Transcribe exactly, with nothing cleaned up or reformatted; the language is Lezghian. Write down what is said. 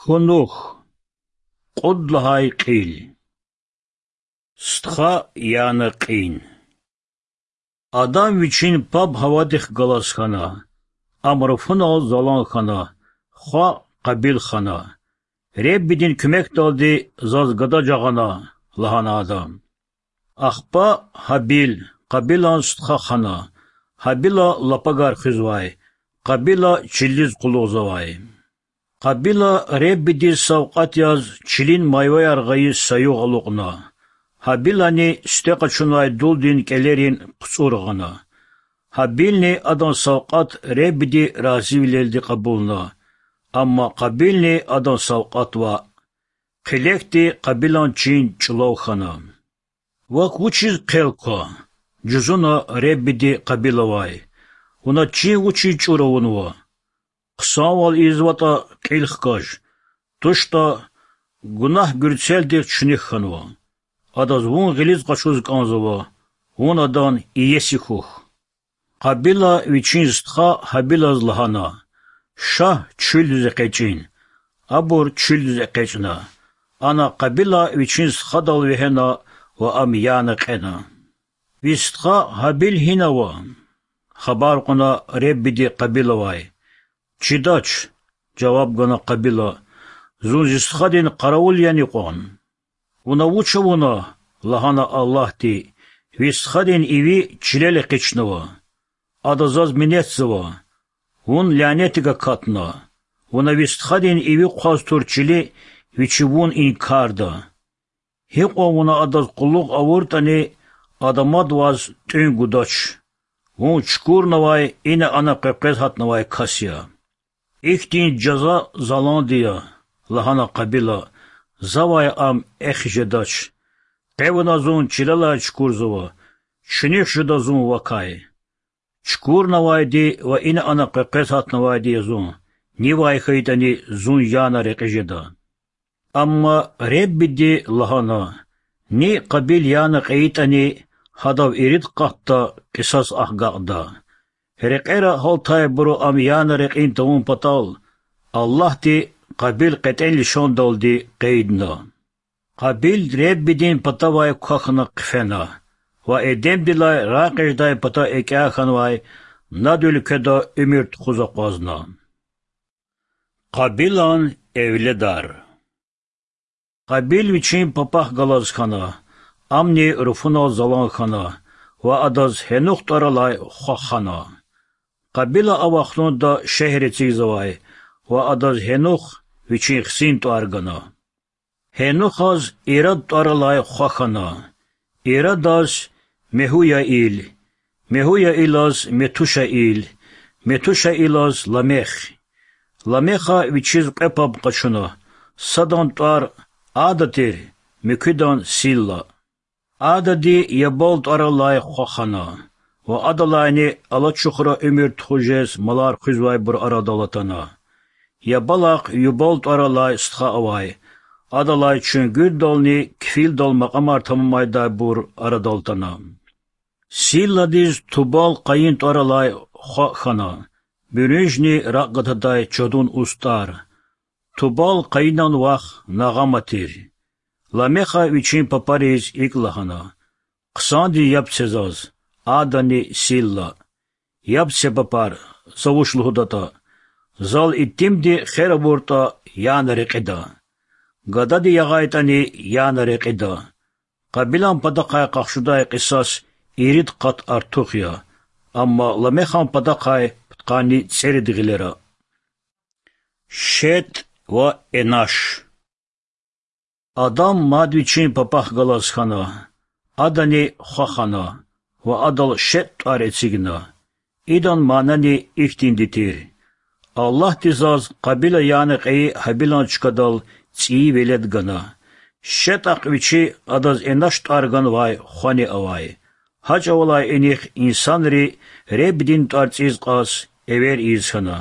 Кунух. Кьуд лагьай кьил. Стха, яна кьин. Адам вичин паб Гьавадихъ галаз хьана, ам руфунал залан хьана, хва Къабил хана. Реббидин куьмекдалди заз гада жагъана,— лагьана ада. Ахпа Гьабил, Къабилан стха хана. Гьабила лапагар хуьзвай, Къабила чилиз къуллугъзавай. Къабила Реббидиз савкьват яз чилин майваяр гъайи саюгъ алукьна. Гьабилани сифте къачунвай дулдин кӀелерин хъуцӀур гъана. Гьабилни адан савкьват Реббиди разивилелди кьабулна, амма Къабилни адан савкьват ваъ. Хъилекди Къабилан чин чӀулав хьана. Вак вучиз хъел ква? жузуна Реббиди Къабилавай. Вуна чин вучиз чӀур авунва? Хъсанвал ийизватӀа, кьил хкаж, тушта, гунагь гуьрцелдихъ чуьнуьх хьанва. Адаз вун гъилиз къачуз кӀанзава, вун адан иеси хьухь. Къабила вичин стха Гьабилаз лагьана: Ша чуьлдиз экъечӀин. Абур чуьлдиз экъечӀна. Ана Къабила вичин стхадал вегьена ва ам яна кьена. Ви стха Гьабил гьина ава? хабар кьуна Реббиди Къабилавай. Чидач,— жаваб гана Къабила,— зун зи стхадин къаравул яни кьван? Вуна вуч авуна? лагьана Аллагьди, ви стхадин иви чилел экъичнава. Ада заз минетзава. Вун лянетдик акатна. Вуна ви стхадин иви хъваз тур чили, вичи вун инкарда. Гьикьван вуна адаз къуллугъ авуртӀани, ада мад ваз тӀуьн гудач. Вун чукурнавай, ина-ана къекъвез гьатнавай кас я. Ихьтин жаза заланди я,— лагьана Къабила,— завай ам эхиз жедач. Къе вуна зун чилелай чукурзава, чуьнуьх жеда зун вакай. Чукурнавайди ва ина-ана къекъвез гьатнавайди я зун, нивай хьайитӀани зун яна рекьиз жеда. Амма Реббиди лагьана: Ни Къабил яна кьейитӀани, гьадав ирид къатда кьисас агакьда. Рекьера гьалтайбуру ам яна рекьин тавун патал, Аллагьди Къабил кьетӀен лишандалди къейдна. Къабил Реббидин патавай квахьна хъфена ва Эдемдилай рагъ жедай пата экӀя хьанвай Над уьлкведа уьмуьр тухуз акъвазна. Къабилан эвледар. Къабил вичин папахъ галаз хьана, амни руфунал залан хьана ва адаз Гьенух тӀвар алай хва хана. Къабила а вахтунда шегьер эцигзавай ва адаз Гьенух вичин хцин тӀвар гана. Гьенухаз Ирад тӀвар алай хва хана, Ирадаз Мегьуяил, Мегьуяилаз Метушаил, Метушаилаз Ламех. Ламеха вичиз кьве паб къачуна, садан тӀвар Ада тир, муькуьдан Силла. Адади Ябал тӀвар алай хва хана ва адалайни алачухра уьмуьр тухуз жез малар хуьзвайбур арадал атана. Ябалахъ Юбал тӀвар алай стха авай, адалай чуьнгуьрдални кфилдал макьамар тамамайдайбур арадал атана. Силладиз Тубал-Къайин тӀвар алай хва хьана, буьруьнжни ракь гатадай чадун устӀар. Тубал-Къайинан вах Нагъама тир. Ламеха вичин папариз икӀ лагьана: Хъсандиз яб це заз, Адани Силла. Яб це, папар, за вуч лугьудатӀа. Зал итимди хер авуртӀа, яна рекьида. Гадади ягъайтӀани, яна рекьида. Къабилан патахъай къахчудай кьисас ирид къат артух я, амма Ламехан патахъай пудкъанни цӀерид гъилера. Шетӏ ва Энаш. Адам мад вичин папахъ галаз хьана, адани хва хана ва адал Шетӏ тӏвар эцигна. Идан манани ихьтинди тир: Аллагьди заз Къабила яна кьейи Гьабилан чкадал цӏийи велед гана. Шетӏахъ вичи адаз Энаш тӏвар ганвай хвани авай. Гьа чӏавалай инихъ инсанри Реббидин тӏвар цӏийиз кьаз эвер ийиз хьана.